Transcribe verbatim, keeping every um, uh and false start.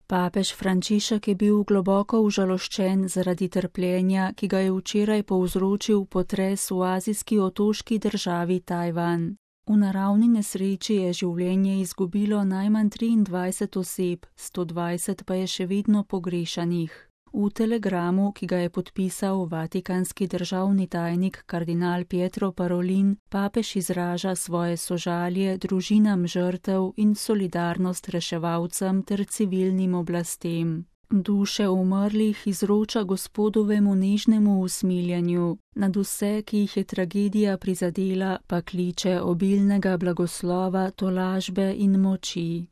Papež Frančišek je bil globoko užaloščen zaradi trpljenja, ki ga je včeraj povzročil potres v azijski otoški državi Tajvan. V naravni nesreči je življenje izgubilo najmanj triindvajset oseb, sto dvajset pa je še vedno pogrešanih. V telegramu, ki ga je podpisal vatikanski državni tajnik kardinal Pietro Parolin, papež izraža svoje sožalje družinam žrtev in solidarnost reševalcem ter civilnim oblastem. Duše umrlih izroča Gospodovemu nežnemu usmiljenju, nad vse, ki jih je tragedija prizadela, pa kliče obilnega blagoslova, tolažbe in moči.